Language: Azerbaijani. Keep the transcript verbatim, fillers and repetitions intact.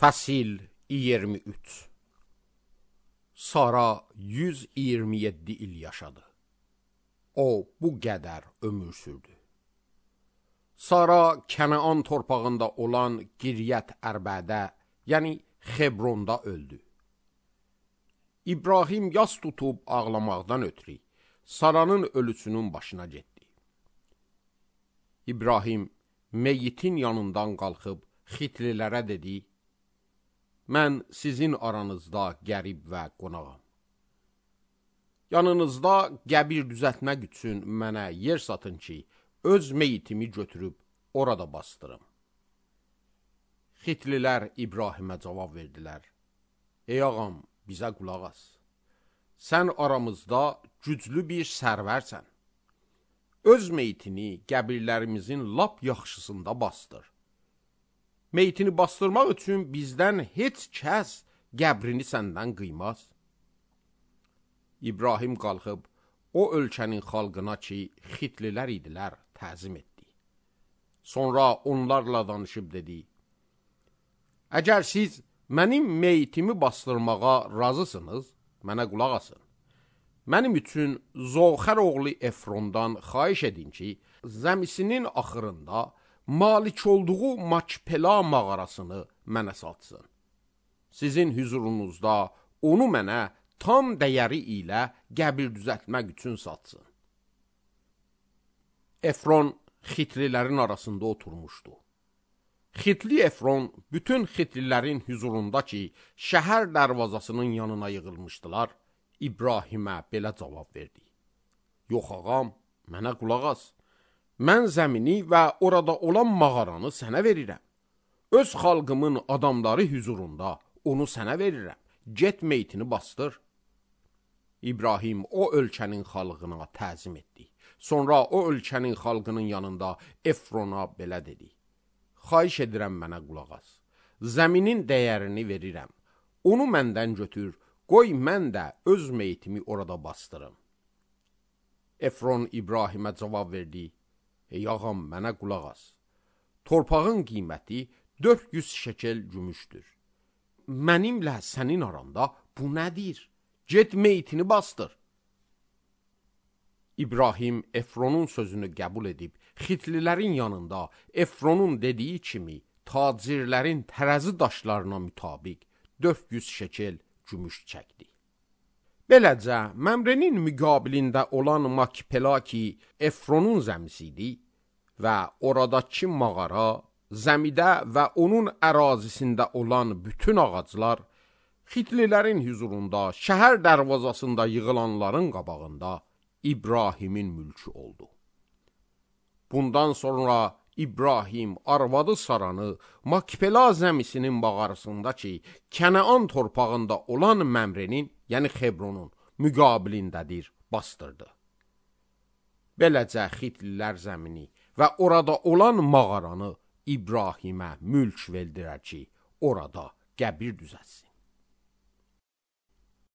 Fəsil iyirmi üç. Sara yüz iyirmi yeddi il yaşadı. O bu qədər ömür sürdü. Sara Kənaan torpağında olan Qiryət Ərbədə, yəni Xebronda öldü. İbrahim yas tutub ağlamaqdan ötürü Saranın ölüsünün başına getdi. İbrahim meyitin yanından qalxıb Xitlilərə dedi: Mən sizin aranızda qərib və qonağam. Yanınızda qəbir düzəltmək üçün mənə yer satın ki, öz meyitimi götürüb orada bastırım. Xitlilər İbrahimə cavab verdilər: Ey ağam, bizə qulaq as. Sən aramızda güclü bir sərvərsən. Öz meyitini qəbirlərimizin lap yaxşısında bastır. Meyitini bastırmaq üçün bizdən heç kəs qəbrini səndən qıymaz. İbrahim qalxıb o ölkənin xalqına ki, Xitlilər idilər, təzim etdi. Sonra onlarla danışıb dedi: Əgər siz mənim meyitimi bastırmağa razısınız, mənə qulaq asın. Mənim üçün Zoxər oğlu Efrondan xahiş edin ki, zəmisinin axırında malik olduğu Makpela mağarasını mənə satsın. Sizin hüzurunuzda onu mənə tam dəyəri ilə qəbir düzəltmək üçün satsın. Efron Xitlilərin arasında oturmuşdu. Xitli Efron bütün Xitlilərin hüzurunda ki, şəhər dərvazasının yanına yığılmışdılar, İbrahimə belə cavab verdi: Yox ağam, mənə qulaq as. Mən zəmini və orada olan mağaranı sənə verirəm. Öz xalqımın adamları hüzurunda onu sənə verirəm. Get meyitini bastır. İbrahim o ölkənin xalqına təzim etdi. Sonra o ölkənin xalqının yanında Efrona belə dedi: Xahiş edirəm mənə qulaq as. Zəminin dəyərini verirəm. Onu məndən götür, qoy mən də öz meyitimi orada bastırım. Efron İbrahimə cavab verdi: Ey ağam, mənə qulaq as. Torpağın qiyməti dörd yüz şekel gümüşdür. Mənimlə sənin aranda bu nədir? Get meyitini bastır. İbrahim Efronun sözünü qəbul edib, Xitlilərin yanında Efronun dediyi kimi tacirlərin tərəzi daşlarına mütabiq dörd yüz şekel gümüş çəkdi. Beləcə, Məmrenin müqabilində olan Makpela ki, Efronun zəmisi idi və oradakı mağara, zəmidə və onun ərazisində olan bütün ağaclar, Xitlilərin hüzurunda, şəhər dərvazasında yığılanların qabağında İbrahimin mülkü oldu. Bundan sonra İbrahim arvadı Saranı Makpela zəmisinin mağarasında ki, Kənaan torpağında olan Məmrenin, yəni Xebronun müqabilindədir, bastırdı. Beləcə Xitlilər zəmini və orada olan mağaranı İbrahimə mülk verdirər ki, orada qəbir düzəlsin.